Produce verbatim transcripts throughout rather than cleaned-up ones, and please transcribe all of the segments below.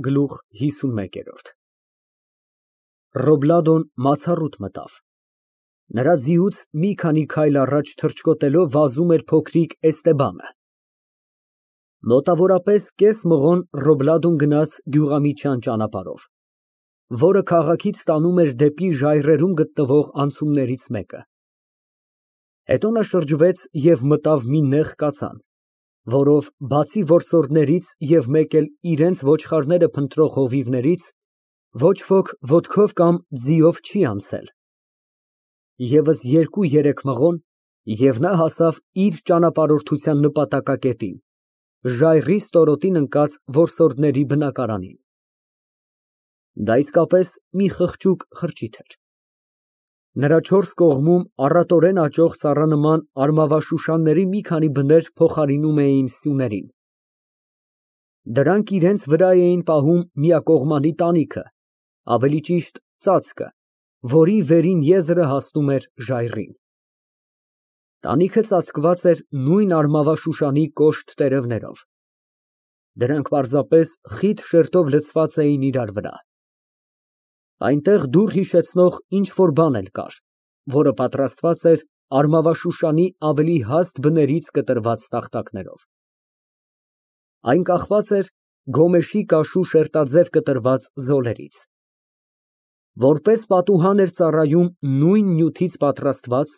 ՀԻՍՈՒՆՄԵԿԵՐՈՐԴ Ռոբլադոն մացառուտ մտավ։ Նրա ձիուց մի քանի քայլ առաջ թռչկոտելով վազում էր փոքրիկ Էստեբանը։ Մոտավորապես կես մղոն Ռոբլադոն գնաց գյուղամիջյան ճանապարհով, որը քաղաքից տանում էր դեպի ժայռերում գտնվող անցումներից մեկը։ Հետո նա շրջվեց և մտավ մի նեղ կածան, որով բացի որսորդներից և մեկ էլ իրենց ոչխարները փնտրող հովիվներից, ոչ ոք ոտքով կամ ձիով չի անցել։ ԵՒս երկու֊երեք մղոն, և նա հասավ իր ճանապարհորդության նպատակակետին, ժայռի ստորոտին ընկած որսորդների բնակարանին։ Դա իսկապես մի խղճուկ խրճիթ էր։ Նրա չորս կողմում առատորեն աճող ծառանման արմավաշուշանների մի քանի բներ փոխարինում էին սյուներին։ Դրանք իրենց վրա էին պահում միակողմանի տանիքը, ավելի ճիշտ ծածկը, որի վերին եզրը հասնում էր ժայռին։ Տանիքը ծածկված էր նույն արմավաշուշանի կոշտ տերևներով։ Դրանք պարզապես խիտ շերտով լցված էին իրար վրա։ Այնտեղ դուռ հիշեցնող ինչ֊որ բան էլ կար, որը պատրաստված էր արմավաշուշանի ավելի հաստ բներից կտրված տախտակներով։ Այն կախված էր գոմեշի կաշու շերտաձև կտրված զոլերից։ Որպես պատուհան էր ծառայում նույն նյութից պատրաստված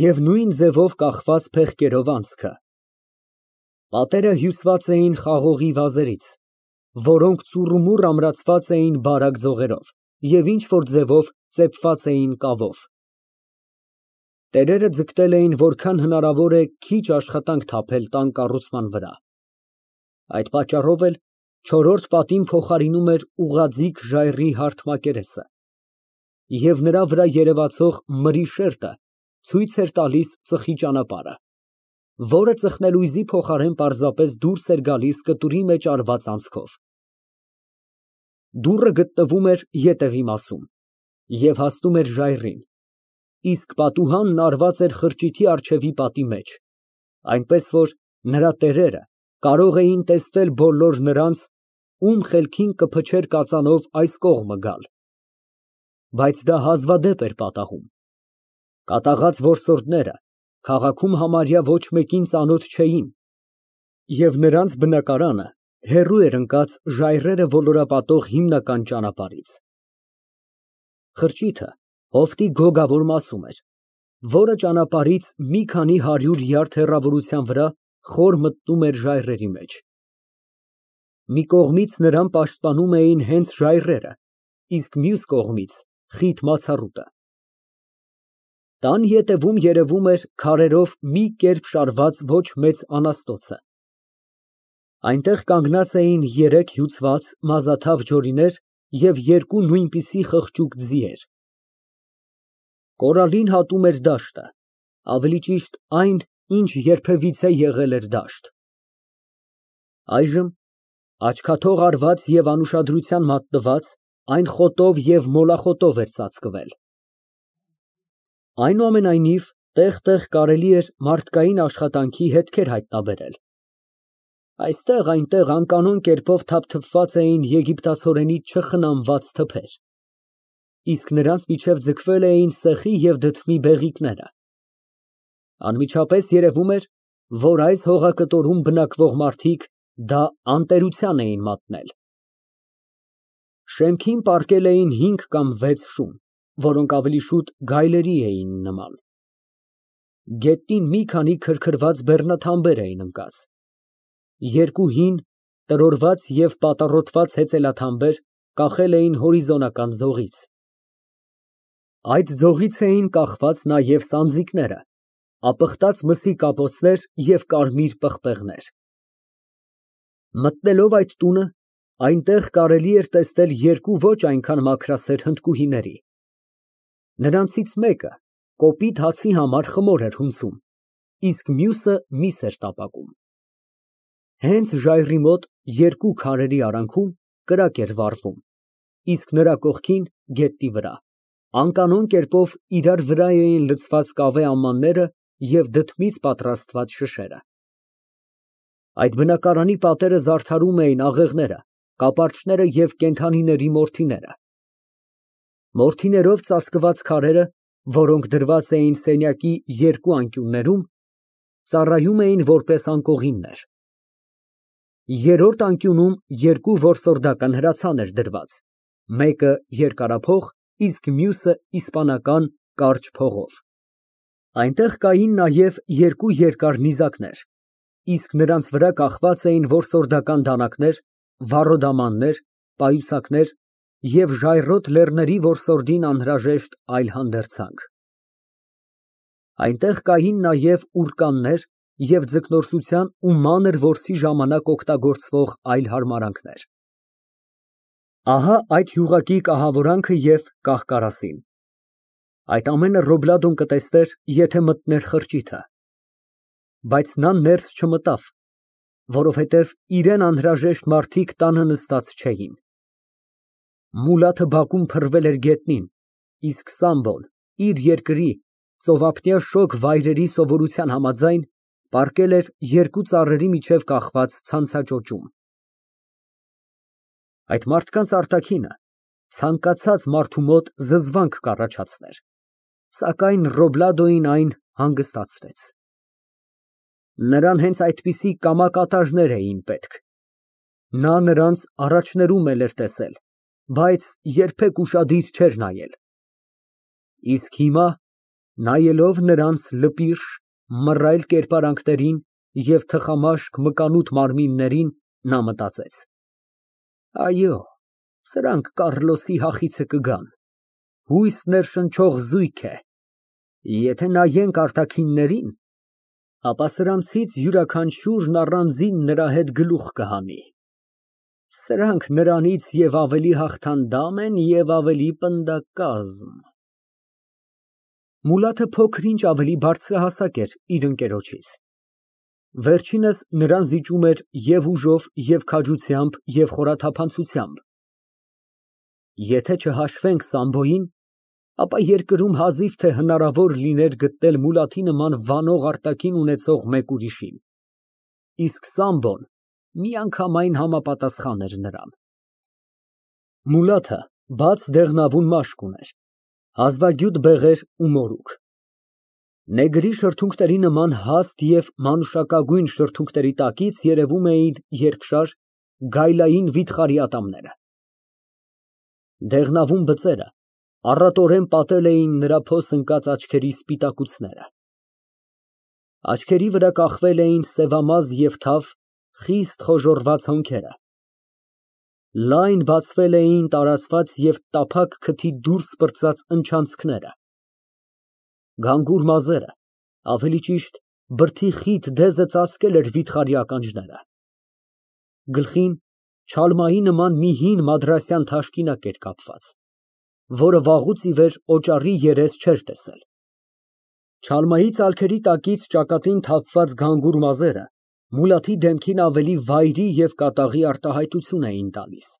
և նույն ձևով կախված փեղկերով անցքը։ Պատերը հյուսված էին խաղողի վազերից, որոնք ծուռումուռ ամրացված էին բարակ ձողերով և ինչ֊որ ձևով ծեփված էին կավով։ Տերերը ձգտել էին որքան հնարավոր է քիչ աշխատանք թափել տան կառուցման վրա։ Այդ պատճառով էլ չորրորդ պատին փոխարինում էր ուղղաձիգ ժայռի հարթ մակերեսը, և նրա վրա երևացող մրի շերտը ցույց էր տալիս ծխի ճանապարհը, որը ծխնելույզի փոխարեն պարզապես դուրս էր գալիս կտուրի մեջ արված անցքով։ Դուռը գտնվում էր ետևի մասում և հասնում էր ժայռին, իսկ պատուհանն արված էր խրճիթի առջևի պատի մեջ, այնպես որ նրա տերերը կարող էին տեսնել բոլոր նրանց, ում խելքին կփչեր կածանով այս կողմը գալ։ Բայց դա հազվադեպ էր պատահում։ Կատաղած որսորդները քաղաքում համարյա ոչ մեկին ծանոթ չէին, և նրանց բնակարանը հեռու էր ընկած ժայռերը ոլորապատող հիմնական ճանապարհից։ Խրճիթը հովտի գոգավոր մասում էր, որը ճանապարհից մի քանի հարյուր յարդ հեռավորության վրա խոր մտնում էր ժայռերի մեջ։ Մի կողմից նրան պաշտպանում էին հենց ժայռերը, իսկ մյուս կողմից խիտ մացառուտը։ Տան ետևում երևում էր քարերով մի կերպ շարված ոչ մեծ անաստոցը։ Այնտեղ կանգնած էին երեք հյուծված մազաթափ ջորիներ և երկու նույնպիսի խղճուկ ձիեր։ Կորալին հատում էր դաշտը, ավելի ճիշտ այն, ինչ երբևիցե եղել էր դաշտ։ Այժմ աչքաթող արված և անուշադրության մատնված, այն խոտով և մոլախոտով էր ծածկվել։ Այնուամենայնիվ, տեղ֊տեղ կարելի էր մարդկային աշխատանքի հետքեր հայտնաբերել։ Այստեղ֊այնտեղ անկանոն կերպով թափթփված էին եգիպտացորենից չխնամված թփեր, իսկ նրանց միջև ձգվել էին սեխի և դդմի բեղիկները։ Անմիջապես երևում էր, որ այս հողակտորում բնակվող մարդիկ դա անտերության էին մատնել։ Շեմքին պառկել էին հինգ կամ վեց շուն, որոնք ավելի շուտ գայլերի էին նման։ Գետնին մի քանի քրքրված բեռնաթամբեր էին ընկած։ Երկու հին, տրորված և պատառոտված հեծելաթամբեր կախել էին հորիզոնական ձողից։ Այդ ձողից էին կախված նաև սանձիկները, ապխտած մսի կապոցներ և կարմիր պղպեղներ։ Մտնելով այդ տունը, այնտեղ կարելի էր տեսնել երկու ոչ այնքան մաքրասեր հնդկուհիների։ Նրանցից մեկը կոպիտ հացի համար խմոր էր հունցում, իսկ մյուսը միս էր տապակում։ Հենց ժայռի մոտ երկու քարերի արանքում կրակ էր վառվում, իսկ նրա կողքին, գետնի վրա, անկանոն կերպով իրար վրա էին լցված կավե ամանները և դդմից պատրաստված շշերը։ Այդ բնակարանի պատերը զարդարում էին աղեղները, կապարծները և կենդանիների մորթիները։ Մորթիներով ծածկված քարերը, որոնք դրված էին սենյակի երկու անկյուններում, ծառայում էին որպես անկողիններ։ Երրորդ անկյունում երկու որսորդական հրացան էր դրված, մեկը երկարափող, իսկ մյուսը իսպանական կարճ փողով։ Այնտեղ կային նաև երկու երկար նիզակներ, իսկ նրանց վրա կախված էին որսորդական դանակներ, վառոդամաններ, պայուսակներ և ժայռոտ լեռների որսորդին անհրաժեշտ այլ հանդերձանք։ Այնտեղ կային նաև ուռկաններ և ձկնորսության ու մանր որսի ժամանակ օգտագործվող այլ հարմարանքներ։ Ահա այդ յուղակի կահավորանքը և կահ֊կարասին։ Այդ ամենը Ռոբլադոն կտեսներ, եթե մտներ խրճիթը։ Բայց նա ներս չմտավ, որովհետև իրան անհրաժեշտ մարդիկ տանը նստած չէին։ Մուլաթը բակում փռվել էր գետնին, իսկ Սամբոն իր երկրի ծովափնյա շոգ վայրերի սովորության համաձայն պառկել էր երկու ծառերի միջև կախված ցանցաճոճում։ Այդ մարդկանց արտաքինը ցանկացած մարդու մոտ զզվանք կառաջացներ, սակայն Ռոբլադոին այն հանգստացրեց։ Նրան հենց այդպիսի կամակատարներ էին պետք։ Նա նրանց առաջներում էլ էր տեսել, բայց երբեք ուշադիր չէր նայել։ Իսկ հիմա, նայելով նրանց լպիրշ, մռայլ կերպարանքներին և թխամաշկ մկանուտ մարմիններին, նա մտածեց. այո, սրանք Կառլոսի հախիցը կգան, հույս ներշնչող զույգ է։ Եթե նայենք արտաքիններին, ապա սրանցից յուրաքանչյուրն առանձին նրա հետ գլուխ կհանի։ Սրանք նրանից և ավելի հաղթանդամ են, և ավելի պնդակազմ։ Մուլաթը փոքր֊ինչ ավելի բարձրահասակ էր իր ընկերոջից։ Վերջինս նրան զիջում էր և ուժով, և քաջությամբ, և խորաթափանցությամբ։ Եթե չհաշվենք Սամբոյին, ապա երկրում հազիվ թե հնարավոր լիներ գտնել Մուլաթի նման վանող արտաքին ունեցող մեկ ուրիշին, իսկ Սամբոն միանգամայն համապատասխան էր նրան։ Մուլաթը բաց դեղնավուն մաշկ ուներ, հազվագյուտ բեղեր ու մորուք։ Նեգրի շրթունքների նման հաստ և մանուշակագույն շրթունքների տակից երևում էին երկշար, գայլային վիթխարի ատամները։ Դեղնավուն բծերը առատորեն պատել էին նրա փոս ընկած աչքերի սպիտակուցները։ Աչքերի վրա կախվել էին սևամազ և թավ, խիստ խոժոռված հոնքերը։ Լայն բացվել էին տարածված և տափակ քթի դուրս պրծած ընչանցքները։ Գանգուր մազերը, ավելի ճիշտ, բրդի խիտ դեզը ծածկել էր վիթխարի ականջները։ Գլխին չալմայի նման մի հին մադրասյան թաշկինակ էր կապված, որը վաղուց ի վեր օճառի երես չէր տեսել։ Չալմայի ծալքերի տակից ճակատին թափված գանգուր մազերը Մուլաթի դեմքին ավելի վայրի և կատաղի արտահայտություն էին տալիս։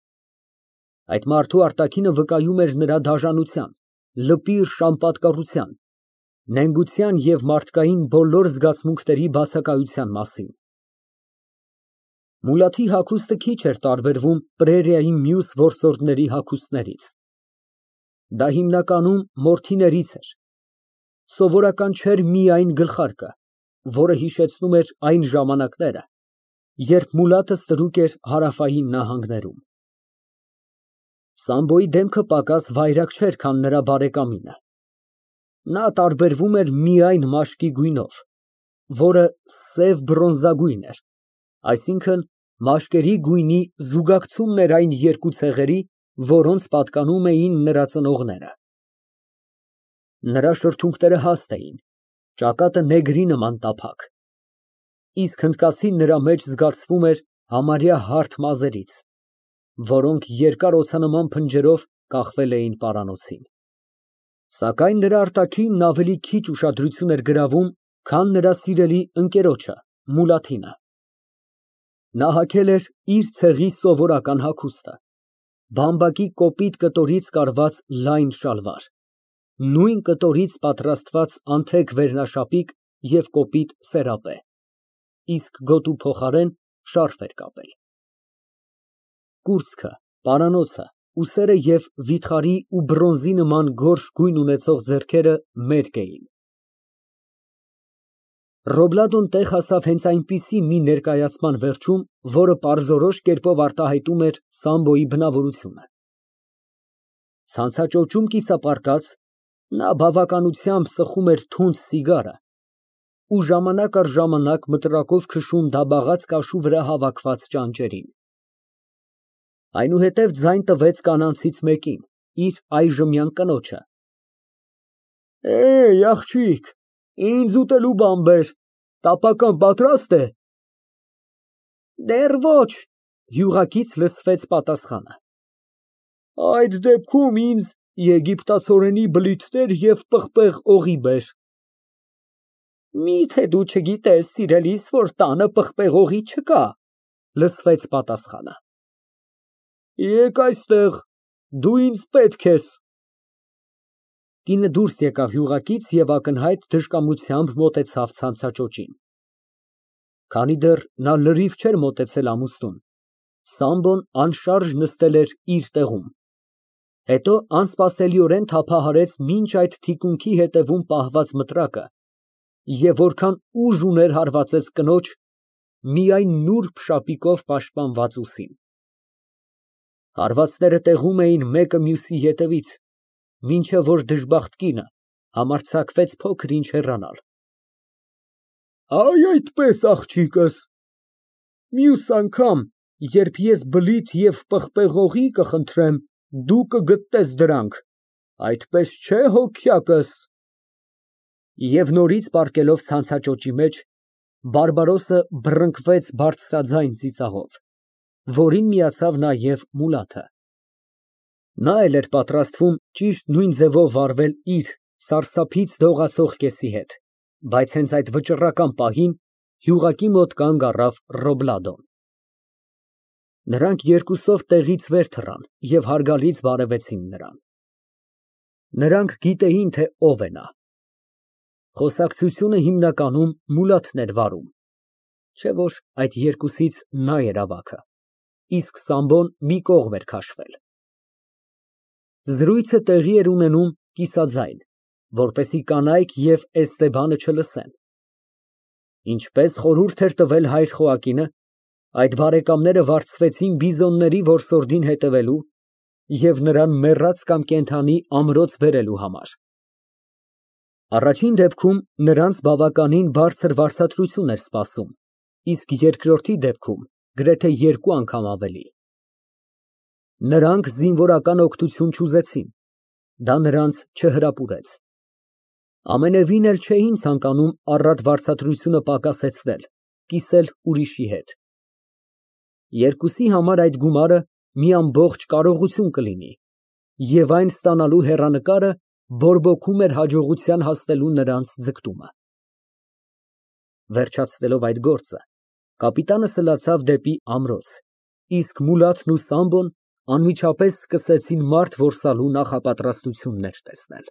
Այդ մարդու արտաքինը վկայում էր նրա դաժանության, լպիրշ անպատկառության, նենգության և մարդկային բոլոր զգացմունքների բացակայության մասին։ Մուլաթի հագուստը քիչ էր տարբերվում պրերիայի մյուս որսորդների հագուստներից։ Դա հիմնականում մորթիներից էր։ Սովորական չէր միայն գլխարկը, որը հիշեցնում էր այն ժամանակները, երբ Մուլաթը ստրուկ էր հարավային նահանգներում։ Սամբոյի դեմքը պակաս վայրագ չէր, քան նրա բարեկամինը։ Նա տարբերվում էր միայն մաշկի գույնով, որը սև բրոնզագույն էր, այսինքն՝ մաշկերի գույնի զուգակցումն էր այն երկու ցեղերի, որոնց պատկանում էին նրա ծնողները։ Նրա շրթունքները հաստ էին, ճակատը նեգրի նման տափակ, իսկ հնդկացին նրա մեջ զգացվում էր համարյա հարթ մազերից, որոնք երկար օձանման փնջերով կախվել էին պարանոցին։ Սակայն նրա արտաքինն ավելի քիչ ուշադրություն էր գրավում, քան նրա սիրելի ընկերոջը Մուլաթինը։ Նա հագել էր իր ցեղի սովորական հագուստը, բամբակի կոպիտ կտորից կարված լայն շալվար, նույն կտորից պատրաստված անթեք վերնաշապիկ և կոպիտ սերապե, իսկ գոտու փոխարեն շարֆ էր կապել։ կուրծքը, պարանոցը, ուսերը և վիթխարի ու բրոնզի նման գորշ գույն ունեցող ձեռքերը մերկ էին։ Ռոբլադոն տեղ հասավ հենց այնպիսի մի ներկայացման վերջում, որը պարզորոշ կերպով արտահայտում էր Սամբոյի բնավորությունը։ Ցանցաճոճում կիսապարկած, նա բավականությամբ սխում էր թունդ սիգարը ու ժամանակ առ ժամանակ մտրակով քշում դաբաղած կաշու վրա հավաքված ճանճերին։ Այնուհետև ձայն տվեց կանանցից մեկին, իր այժմյան կնոջը։ Էհ, աղջիկ, ինձ ուտելու բան բեր, տապական պատրաստ է։ Դեռ ոչ, յուղակից լսվեց պատասխանը։ Այդ դեպքում ինձ եգիպտացորենի բլիթներ և պղպեղ օղի բեր։ Միթե դու չգիտես, սիրելիս, որ տանը պղպեղ օղի չկա, լսվեց պատասխանը։ Եկ այստեղ, դու ինձ պետք ես։ Կինը դուրս եկավ յուղակից և ակնհայտ դժկամությամբ մոտեցավ ցանցաճոճին։ Քանի դեռ նա լրիվ չէր մոտեցել ամուստուն, Սամբոն անշարժ նստել էր իր տեղում, հետո անսպասելիորեն թափահարեց մինչ այդ թիկունքի ետևում պահված մտրակը և որքան ուժ ուներ հարվածեց կնոջ միայն նուրբ շապիկով պաշտպանված ուսին։ Հարվածները տեղում էին մեկը մյուսի ետևից, մինչև որ դժբախտ կինը համարձակվեց փոքր ինչ հեռանալ։ Այ այդպես, աղջիկս, մյուս անգամ, երբ ես բլիթ և պղպեղ օղի կխնդրեմ, դու կգտնես դրանք, այդպես չէ, հոգյակս։ Եվ նորից պառկելով ցանցաճոճի մեջ, բարբարոսը բռնկվեց բարձրաձայն ծիծաղով, որին միացավ նաև Մուլաթը։ Նա էլ էր պատրաստվում ճիշտ նույն ձևով վարվել իր սարսափից դողացող կեսի հետ, բայց հենց այդ վճռական պահին յուղակի մոտ կանգ առավ Ռոբլադոն։ Նրանք երկուսով տեղից վեր թռան և հարգալից բարևեցին նրան։ Նրանք գիտեին, թե ով է նա։ Խոսակցությունը հիմնականում Մուլաթն էր վարում, չէ՞ որ այդ երկուսից նա էր ավագը, իսկ Սամբոն մի կողմ էր քաշվել։ Զրույցը տեղի էր ունենում կիսաձայն, որպեսզի կանայք և Էստեբանը չլսեն։ Ինչպես խորհուրդ էր տվել հայր Խոակինը, այդ բարեկամները վարձվեցին բիզոնների որսորդին հետևելու և նրան մեռած կամ կենդանի ամրոց բերելու համար։ Առաջին դեպքում նրանց բավականին բարձր վարձատրություն էր սպասում, իսկ երկրորդի դեպքում գրեթե երկու անգամ ավելի։ Նրանք զինվորական օգնություն չուզեցին, դա նրանց չհրապուրեց։ Ամենևին էլ չէին ցանկանում առատ վարձատրությունը պակասեցնել, կիսել ուրիշի հետ։ Երկուսի համար այդ գումարը մի ամբողջ կարողություն կլինի, և այն ստանալու հեռանկարը բորբոքում էր հաջողության հասնելու նրանց ձգտումը։ Վերջացնելով այդ գործը, կապիտանը սլացավ դեպի ամրոց, իսկ Մուլաթն ու Սամբոն անմիջապես սկսեցին մարդ որսալու նախապատրաստություններ տեսնել։